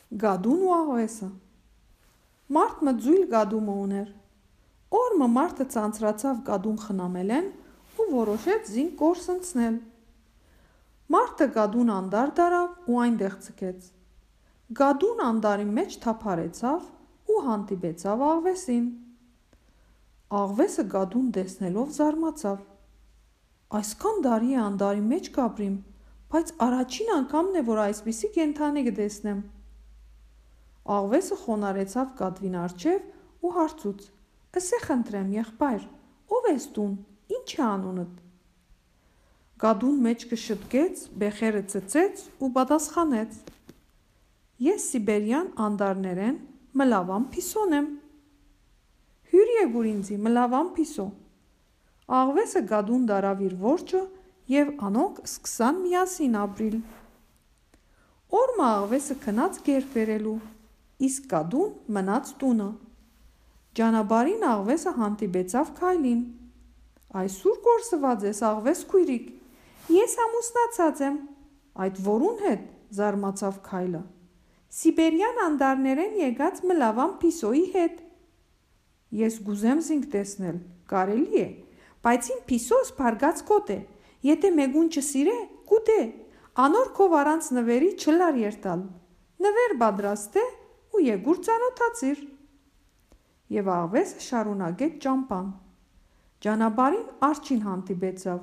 Գադուն ու աղվեսը։ Մարդը ձույլ գադումը ուներ։ Օրը մարդը ցանցրացավ գադուն խնամելեն ու որոշեց զինք կորսնցնել։ Մարդը գադուն անդար դարավ ու այնտեղ ցկեց։ Գադուն անդարի մեջ թափարեցավ ու հանդիպեցավ աղվեսին։ Աղվեսը գադուն տեսնելով զարմացավ։ Այսքան տարի է անդարի մեջ կապրիմ, բայց առաջին անգամն է, որ այսպիսի կենդանի կտեսնեմ։ Աղվեսը խոնարհեցավ գադվին առջև ու հարցուց. «Ըսե խնդրեմ, եղբայր, ով ես դուն, ինչ է անունդ»։ Գադուն մեջքը շտկեց, բեխերը ծծեց ու պատասխանեց. «Ես սիբերյան անդարներեն մլավան Փիսոն եմ»։ «Հյուր եկուր ինձի, մլավան Փիսո»։ Աղվեսը գադուն դարավ իր որջը և անոնք սկսան միասին ապրիլ։ Օրը աղվեսը գնաց գեր բերելու, իսկ գադուն մնաց տունը։ Ճանապարհին աղվեսը հանդիպեցավ Քայլին։ «Այսուր կորսված ես, աղվես քույրիկ»։ «Ես ամուսնացած եմ»։ «Այդ որուն հետ»։ Զարմացավ Քայլը։ «Սիբերյան անդարներեն եկած մլավան Փիսոյի հետ»։ «Ես գուզեմ զինք տեսնել, կարելի է, բայց իմ Փիսոս փարգած կոտ է, եթե մեկուն չսիրե, կուտե, անոր քով առանց նվերի չլար երթալ, նվեր պատրաստե ու եկուր ծանոթացիր»։ Եվ աղվեսը շարունակեց ճամփան։ Ճանապարհին արջին հանդիպեցավ։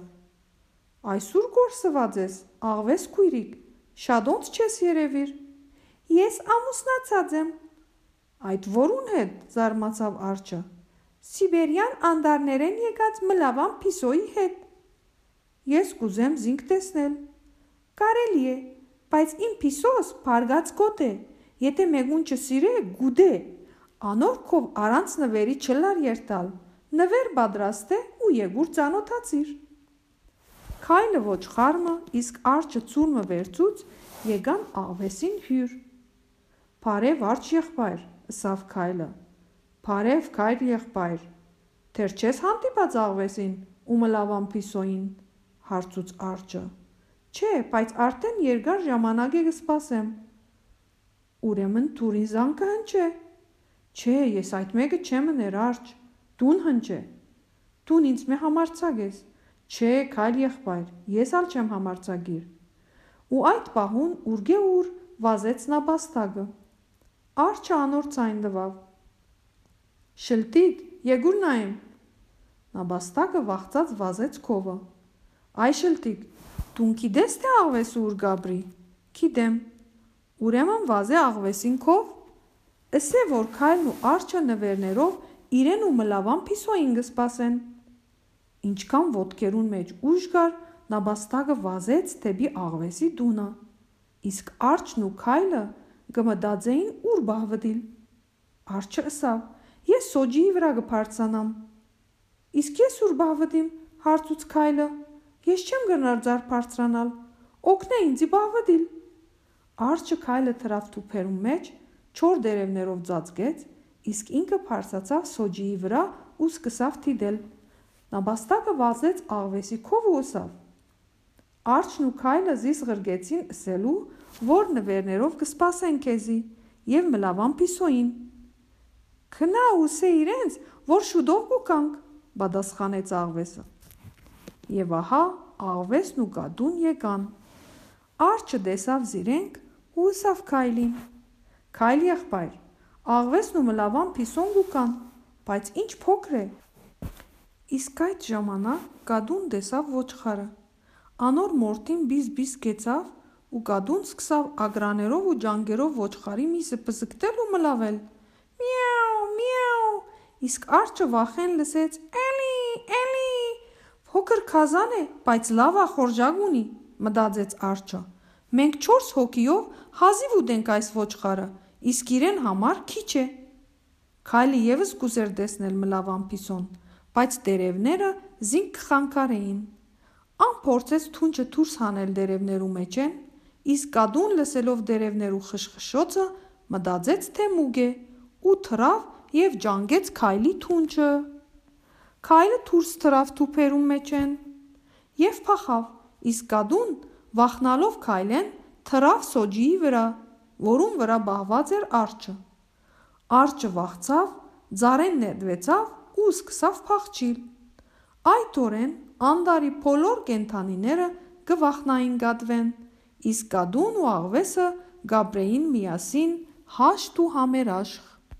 «Այսուր կորսված ես, աղվես քույրիկ, շատ օնց չես երևիր»։ «Ես ամուսնացած եմ»։ «Այդ որուն հետ»։ Զարմացավ արջը։ «Սիբերյան անդարներեն եկած մլավան Փիսոյի հետ»։ «Ես կուզեմ զինք տեսնել»։ «Կարելի է, բայց իմ Փիսոս փարգած կոտ է, եթե մեկուն չսիրե, գուտե, անոր քով առանց նվերի չլար երթալ, նվեր պատրաստե ու եկուր ծանոթացիր»։ Քայլը ոչխարը, իսկ արջը ցուրմը վերցուց եկան աղվեսին հյուր։ «Բարև արջ եղբայր», ըսավ Քայլը։ «Բարև քայր եղբայր, դեռ չես հանդիպած աղվեսին ու մլավան Փիսոյին»։ Հարցուց արջը։ «Չէ, բայց արդեն երկար ժամանակ է կսպասեմ»։ «Ուրեմն դուր ինձ զան կհնչե»։ «Չէ, ես այդ մեկը չեմ ուներ արջ, դուն հնչե»։ «Դուն ինձ մե համարձակ ես»։ «Չէ, քայլ եղբայր, ես ալ չեմ համարձակիր»։ Ու այդ պահուն ուրգե ուր վազեց նապաստակը։ Արջը անոր ցայն տվավ։ «Շլտիկ, եկուր նայեմ»։ Նապաստակը վախծած վազեց քովը։ «Այ շլտիկ, դուն գիտես թե աղվեսը ուր կապրի»։ «Գիտեմ»։ «Ուրեմն վազե աղվեսին քով»։ Ըսե որ Քայլն ու արջը նվերներով իրեն ու մլավան Փիսոյին կսպասեն։ Ինչքան ոտքերուն մեջ ուժ կար, նապաստակը վազեց դեպի աղվեսի տունը, իսկ արջն ու Քայլը կմտածեին ուր բահվտիլ։ Արջը ըսավ. «Ես սոճիի վրա կբարձրանամ»։ «Իսկ ես ուր բահվտիմ»։ Հարցուց Քայլը։ «Ես չեմ գնար ձար բարձրանալ, օգնե ինձի բահվտիլ»։ Արջը Քայլը թրավ թուփերուն մեջ, չոր տերևներով ծածկեց, իսկ ինքը բարձրացավ սոճիի վրա ու սկսավ դիտել։ Նապաստակը վազեց աղվեսի քով ու ըսավ. Արջն ու Քայլը զիս ղրկեցին ըսելու, որ նվերներով կսպասեն քեզի և մլավան Փիսոյին։ «Գնա ուսե իրենց, որ շուտով կուկանք», պատասխանեց աղվեսը։ Եվ ահա աղվեսն ու գադուն եկան։ Արջը տեսավ զիրենք ու ըսավ Քայլին. «Քայլ եղբայր, աղվեսն ու մլավան Փիսոն կուկան, բայց ինչ փոքր է»։ Իսկ այդ ժամանակ գադուն տեսավ ոչխարը։ Անոր մորթին բիզ-բիզ կեցավ ու գադուն սկսավ ագրաներով ու ջանքերով ոչխարի միսը պզկտել ու մլավել։ «Միաու, միաու»։ Իսկ արջը վախեն լսեց. «Էլի»։ «Փոքր քազան է, բայց լավ ախորժակ ունի», մտածեց արջը։ «Մենք 4 հոգիով հազիվ ուտենք այս ոչխարը, իսկ իրեն համար քիչ է»։ Քայլը ևս կուզեր տեսնել մլավան Փիսոն, բայց տերևները զինք կխանգարեին։ Ան փորձեց թունջը դուրս հանել տերևներու մեջեն, իսկ գադուն լսելով տերևներու խշխշոցը մտածեց թե մուգ է ու թռավ և ջանգեց Քայլի թունջը։ Քայլը դուրս թռավ թուփերուն մեջեն և փախավ, իսկ գադուն վախնալով Քայլեն թռավ սոճիի վրա որում վրա բահված էր արջը։ Արջը վախցավ, ձարեն ներդվեցավ ու սկսավ փախչիլ։ Այդ օրեն Անդարի բոլոր կենդանիները կվախնային Գադվեն, իսկ Գադուն ու աղվեսը գաբրեին միասին հաշտ ու համերաշխ։